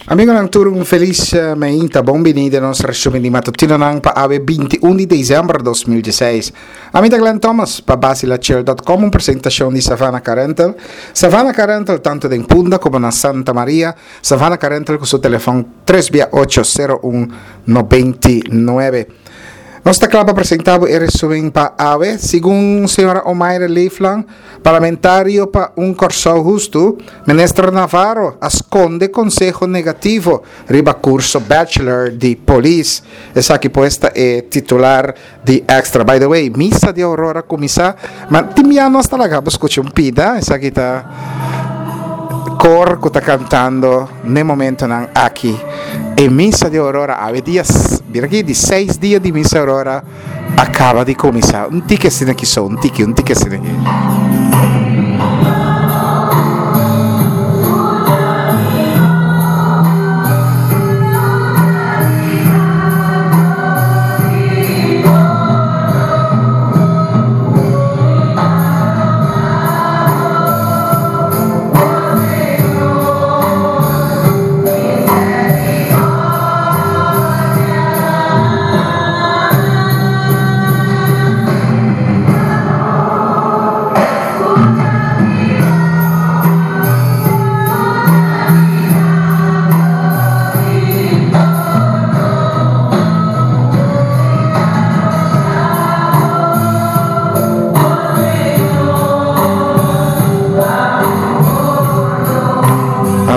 Amigonan tur un felis meinta, bon bini den nos resumen di matutinonan pa awe 21 di december 2016. Ami ta Glenn Thomas pa basilachel.com un presentacion di Savannah Car Rental. Savannah Car Rental tanto den Punda como na Santa Maria. Savannah Car Rental cu su telefon 3 bia 8 01 99. Nos ta cla pa presenta bo e resumen pa awe. Segun señora Omaira Leeflang, Parlamentario pa un Kòrsou hustu, Minister Navarro a skonde konseho negativo riba kurso Bachelor di Polis. Esaki pues ta e titular di Extra. By the way, misa di Aurora kuminsá, ma tin bia nos ta laga bo skucha un pida, esaki ta kor ku ta kantando n'e momentonan aki. E misa di Aurora awe dia, mira aki, di seis dia di misa Aurora. A caba di cuminsa. Un tiki asina aki so, un tiki, un tiki asina aki.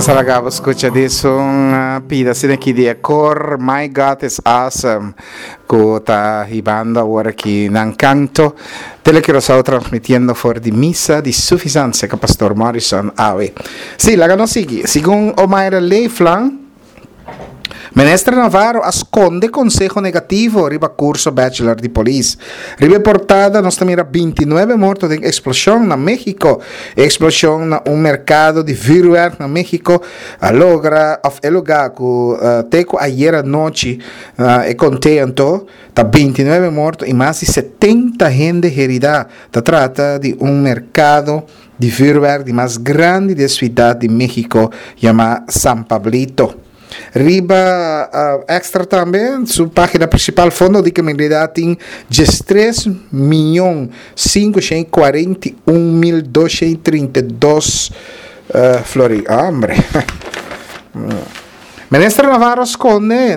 Nos a laga bo scucha di esun pida asina aki di e cor My God is Awesome. Cu ta hibando awor aki nan canto. Tele Curaçao transmitiendo for di misa di Suffisance cu Pastor Morrison awe. Si, laga nos sigui. Segun Omaira Leeflang, Minister Navarro a sconde conseho negativo riba curso Bachelor di Polis. Riba e portada nos ta mira 29 morto den explosion na Mexico. E explosion na un mercado di vuurwerk na Mexico a logra, of e lugar cu te cu ayer anochi E konte anto ta 29 morto i mas di 70 hende heridá. Ta trata di un merkado di vürwèrk di mas grandi di e suidat di México yamá San Pablito. Riba Extra tambe su página prinsipal Fondo di Kriminalidat tin diestres miyon 541 mil 232 florin. Hombre. Minister Navarro skonde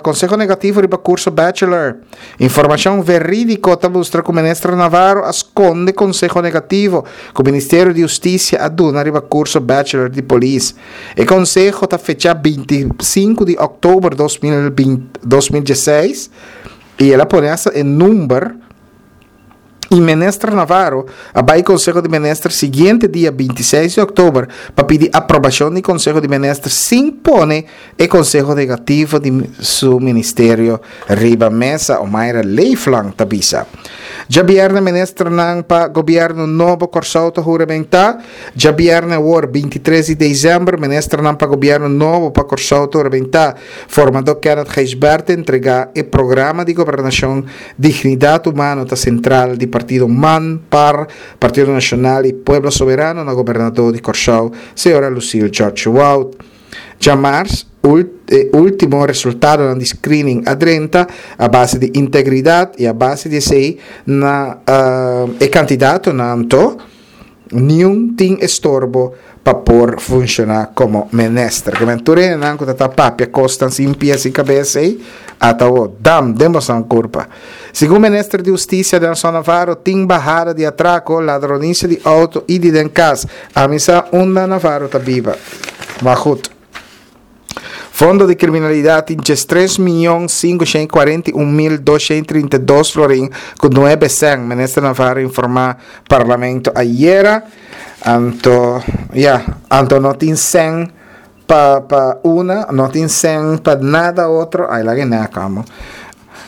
konseho negativo riba kurso bachelor. Informashon verídiko ta mustra ku Minister Navarro a skonde konseho negativo ku Ministerio di Hustisia a duna riba kurso bachelor di polis. E konseho ta fechá 25 di òktober 2016 i el a pone asta e number. Y Minister Navarro a bay Conseho di Minister siguiente dia 26 di october pa pidi aprobacion di Conseho di Minister sin pone e conseho negativo di su ministerio riba mesa, Omaira Leeflang ta bisa. Djabierne ministernan pa gobierno nobo Corsou ta huramenta. Djabierne awor 23 di december ministernan pa gobierno nobo pa Corsou ta huramenta. Formador Kenneth Gijsbert ta entrega e programa di gobernacion Dignidat humano ta sentral di partido man, par, Partido Nashonal i Pueblo Soberano na gobernador di Kòrsou, señora Lucille George Wout. Djamars, e último resultadonan di screening a drenta a base di integridat i a base di esei na e kandidatonan anto, Niun tin estorbo pa por funciona como minister. Ke men tur hendenan ku ta ta papia kosnan sin pia sin kabes ei, ata awo, dam, den bosan kurpa. Segun minister di Hustisia Nelson Navarro, tin bahada di atrako, ladronisia di outo i di den kas. Ami sa unda Navarro ta biba. Maar goed. Fondo di Kriminalidat tin djestres miyon 541 mil 232 florin ku nuebe sèn, Minister Navarro informá Parlamento ayera. Anto, ya, anto no tin sèn pa pa una, no tin sèn pa nada otro. Ai, laga e nèk amo.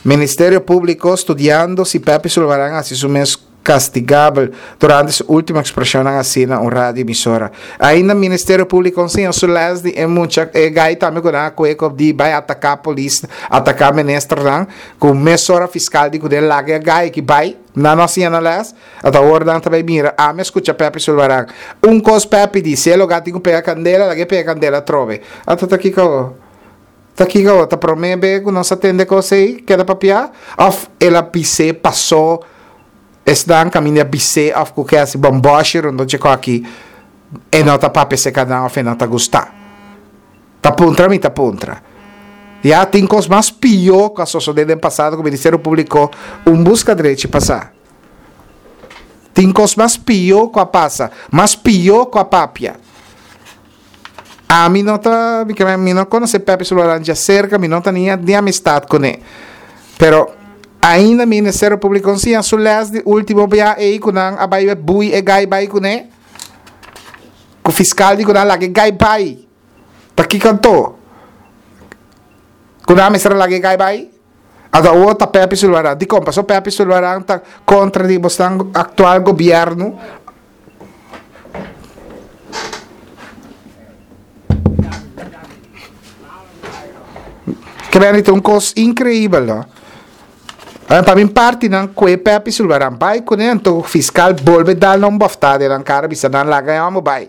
Ministerio Públiko studiando si Pepe Sulvaran hasi su mes. Castigabel durante su ultimo expresionnan haci na un radio emisora. Ainda Ministerio Publico enseña su les di e mucha e guy tambe cu nan a cue cu di bay ataca polis, ataca ministernan, cu mesora fiscal di cu den laga e guy aki bay, nan no a siña nan les, ata awor nan ta bay mira, ami a scucha Pepi Sulvaran, un cos Pepi di, si e loga tin cu pega candela, laga e pega candela atrobe. Ata ta kico? Ta kiko awor? Ta promé be ku nos a tende kos ei keda papiá? Òf el a bis'é pasó esnan kaminda a bis'é òf ku ke hasi bòmbòshi rondó dje kò aki e no ta papia serka nan òf e no ta gustá? Ta puntra mi ta puntra. Ya tin kos mas pió ku a sosodé den pasado ku Ministerio Públiko un buska drechi pasá. Tin kos mas pió ku a pasa, mas pió ku a papia. Ami no ta, mi ke mi no konosé Pepe Sulvaran djaserka, mi no ta ni ni amistat kuné. Pero ainda Ministerio Públiko siña su lès di último bia ei ku nan a bai bui e gai bai kuné. Ku fiskal di ku nan laga e gai bai. Ta kiko anto? Ku nan mester a laga e gai bai? Anto awor ta Pepe Sulvaran. Dikon? Pasobra Pepe Sulvaran ta kontra di bosnan aktual gobièrnu. Ke bende ta un kos inkreibel no. Pa mi parti nan kue Pepi Sulvaran bai kuné anto fiskal bolbe dal nan un bòftá den nan kara bisa nan laga e hòmber bai.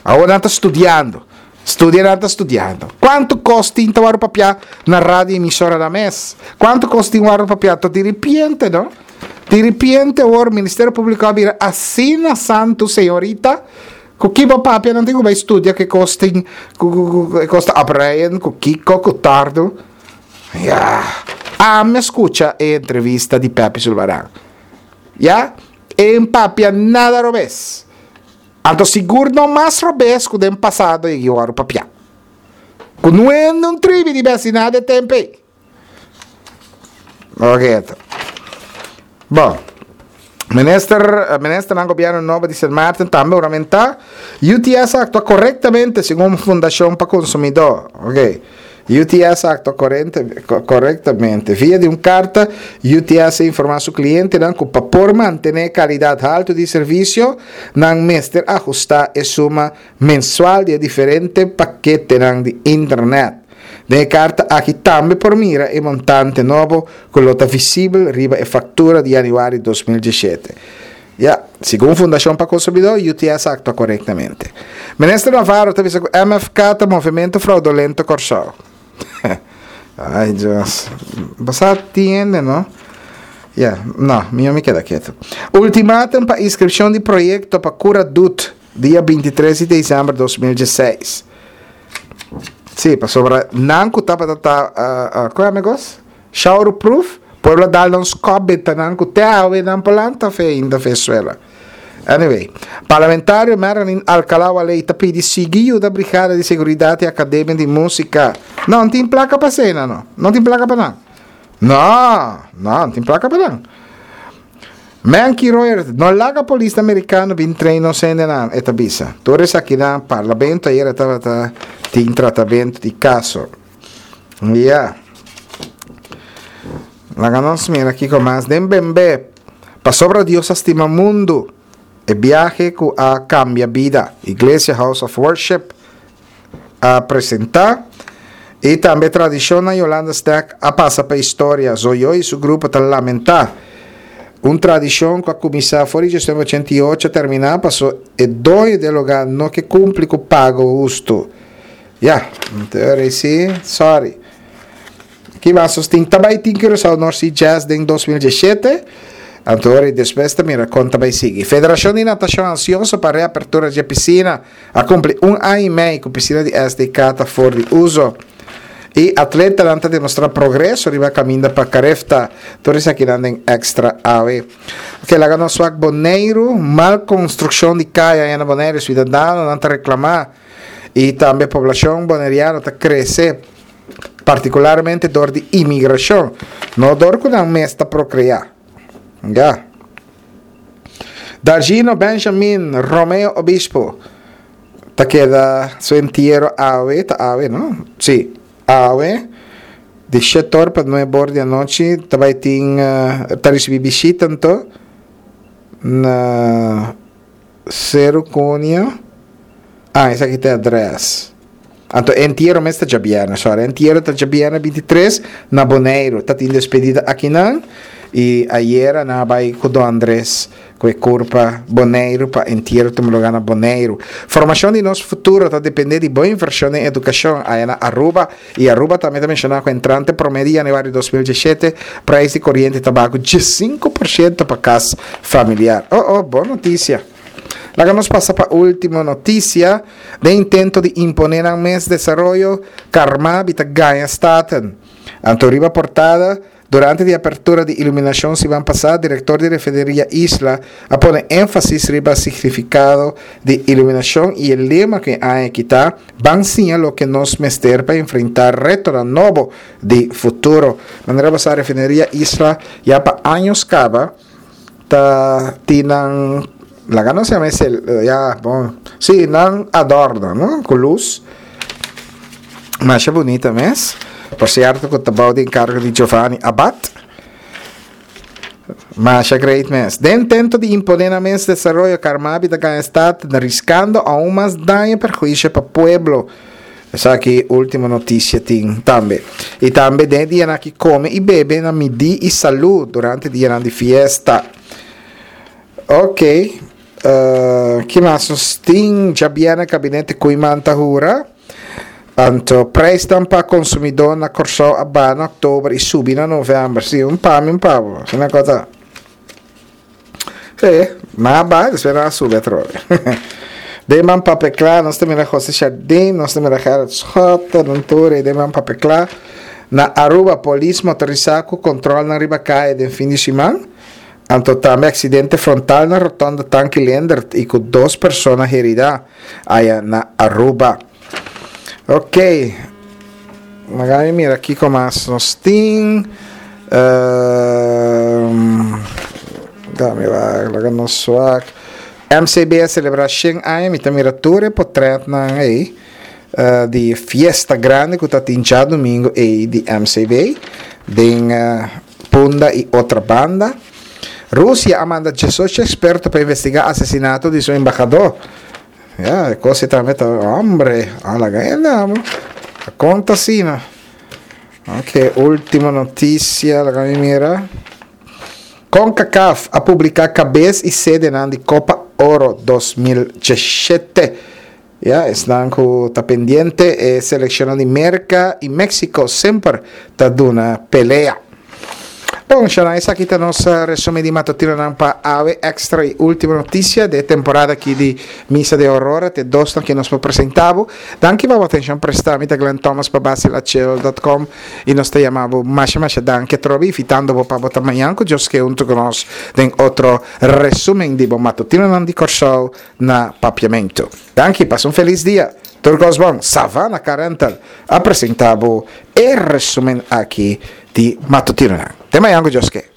Awor nan ta studiando. Studia nan ta studiando. Kuantu kos tin ta wòrdu papiá na radio emisoranan mes? Kuantu kos tin wòrdu papiá? To diripiente no. Diripiente awor Ministerio Públiko a bira asina santu señorita ku ki bo papia nan tin ku bai studia ke kos tin ku ku ku e kos ta opreien ku kiko ku tardu. Ya. Ami a skucha e entrevista di Pepi Sulvaran. Ya. E papia nada robes. Anto sigur no mas robes ku den pasado e wòrdu papiá. Ku no hende un tribi di besi nada e tempu ei. Oke. Bon. Minister, ministernan gobièrnu nobo di Sint Maarten tambe huramentá. UTS a aktua korektamente segun Fundashon pa Konsumidó. Oke. UTS a aktua korektamente. Via di un karta, UTS a informá su klientenan ku pa por mantené e kalidat haltu di servisio, nan mester ahustá e suma mensual di e diferente paketenan di internet. Den e karta aki tambe por mira e montante nobo ku lo ta visibel riba e faktura di yanüari 2017. Ya, segun Fundashon pa Konsumidó, UTS a aktua korektamente. Minister Navarro ta bisa ku MFK ta Movimento Fraudulento Kòrsou. Ai Dios. Bo sa tin hende no? Ya, no, mihó mi keda ketu. Ultimatum pa inskripshon di proyekto pa kura dut dia 23 di desèmber 2016. Sí, pasobra nan ku tabata ta, uh, uh, kon amigos? Showerproof, pueblo a dal nan skòp benta nan ku te awe nan por lanta fe ainda fe suela. Anyway, parlamentario Marilyn Alcalá Waley ta pidi sigui yuda brigada di seguridat i akademia di músika. No, no tin plaka pa esei nan no. No tin plaka pa nan. No, no, no tin plaka pa nan. Menky Royer, no laga polisnan merikano bin train nos hendenan, e ta bisa. Tur esakinan, parlamento ayera tabata tin tratamentu di kaso. Ya. Laga nos mira kiko mas den bembe. Pasobra Dios a stima mundu. E biahe ku a kambia bida. Iglesia House of Worship a presenta. I tambe tradishonnan Yolanda Stack a pasa pa historia. Zoyo i su grupo ta lamenta. Un tradishon ku a kuminsá for di 1988 a terminá paso e doño di e lugá no ke kumpli ku pago hustu. Ya, teoria si, sorry. Ki mas nos tin? Ta bai tin Curaçao North Sea Jazz den 2017. Anto ora despues ta mira kon ta bai sigui. Federashon di Natashon ansioso pa reapertura dje pisina. A kumpli un aña i mei ku pisina di SDK ta for di uso. I atletanan ta demostrá progreso riba kaminda pa Carifta. Tur esakinan den Extra awe. Ok, laga nos wak Boneiru. Mal konstrukshon di kaya na Boneiru. Siudadanonan ta reklamá. I tambe poblashon boneriano ta krese, partikularmente dor di imigrashon, no dor ku nan mes ta prokreá. Ya. Dargino Benjamin Romeo Obispo ta keda su entiero awe, ta awe no? Sí, awe. Di shet'or pa nueb'or di anochi ta bai tin ta ricibi bishita anto na Seru Cunha. Ah, esaki ta e adres. Anto e entiero mes ta djabièrnè, sorry. E entiero ta djabièrnè 23 na Boneiru. Ta tin despedida akinan i ayera nan a bai ku Don Andres ku e kurpa Boneiru pa entiero tuma lugá na Boneiru. Formashon di nos futuro ta dependé di bo invershon den edukashon aya na Aruba i Aruba tambe ta menshoná ku entrante promé di yanüari 2017 preis di koriente ta baha ku 15% pa kas familiar. Oh oh, bon notisia! Laga nos pasa pa último notisia. Den intento di imponé nan mes desaroyo, Carmabi ta gaña Staten. Anto riba portada, durante di apertura di iluminashon siman pasá, direktor di Refineria Isla a pone énfasis riba signifikado di iluminashon i e lema ku e aña aki ta, Ban siña loke nos mester pa enfrentá retonan nobo di futuro. Manera bo sa Refineria Isla ya pa años kaba ta tin nan laga nos yama esei ya bon si nan adorno no ku lus masha bunita mes por sierto ku ta bou di enkargo di Giovanni Abad masha great mes den intento di impone nan mes desaroyo Carmabi ta gana stad riskando aun mas daño perhuisio pa pueblo. Esaki ultimo noticia tin tambe. Y tambe den e dianan aki come y bebe na midi y salud durante dianan di fiesta. Ok, uh, ki mas nos tin? Djabièrnè kabinete Koeiman ta hura. Anto prijsnan pa consumidó na Kòrsou a baha na oktober y subi na novèmber. Sí, un pa mi un pa bo. Asina ku ta. Sí, nan a baha despues nan a subi atrobe. Den man papia kla nos ta mira José Chardin, nos ta mira Gerrit Schotte, nan tur ei den man papia kla. Na Aruba polis motorisá ku kontrolnan riba kaya den fin di siman. Anto tambe aksidente frontal na rotonda Tanki Leendert i ku dos persona heridá aya na Aruba. Ok, laga mi mira kiko mas nos tin. Um, dame wak, laga nos wak. MCB a celebra 100 aña, mi ta mira tur e potretnan ei uh, di fiesta grande ku ta tin djadomingo ei di MCB den uh, Punda i otra banda. Rusia a manda 18 experto pa investiga asesinato di su embahador. Ya, e kos ei tambe ta, hombre, a laga hende amo. A konta asina. Ok, ultimo notisia, laga mi mira. Concacaf a publiká kabes i sedenan di Kopa Oro 2017. Ya, esnan ku ta pendiente, e selekshonnan di Merka i Meksiko semper ta duna pelea. Bon, shana, esaki ta nos resumen di matutinonan pa awe. Extra y ultimo noticia de e temporada aki di Misa de Aurora, te dosnan ki nos por presenta bo. Danki pa bo atencion presta. Mi ta Glenn Thomas pa basilachel dot com y nos ta yama bo masha masha danki atrobe invitando bo pa bo ta mañan cu Dios ke hunto cu nos den otro resumen di bo matutinonan di Corsou na Papiamento. Danki, pasa un feliz dia. Tur cos bon. Savannah Car Rental a presenta bo e resumen aki di matutinonan. Te mañan cu Dios ke.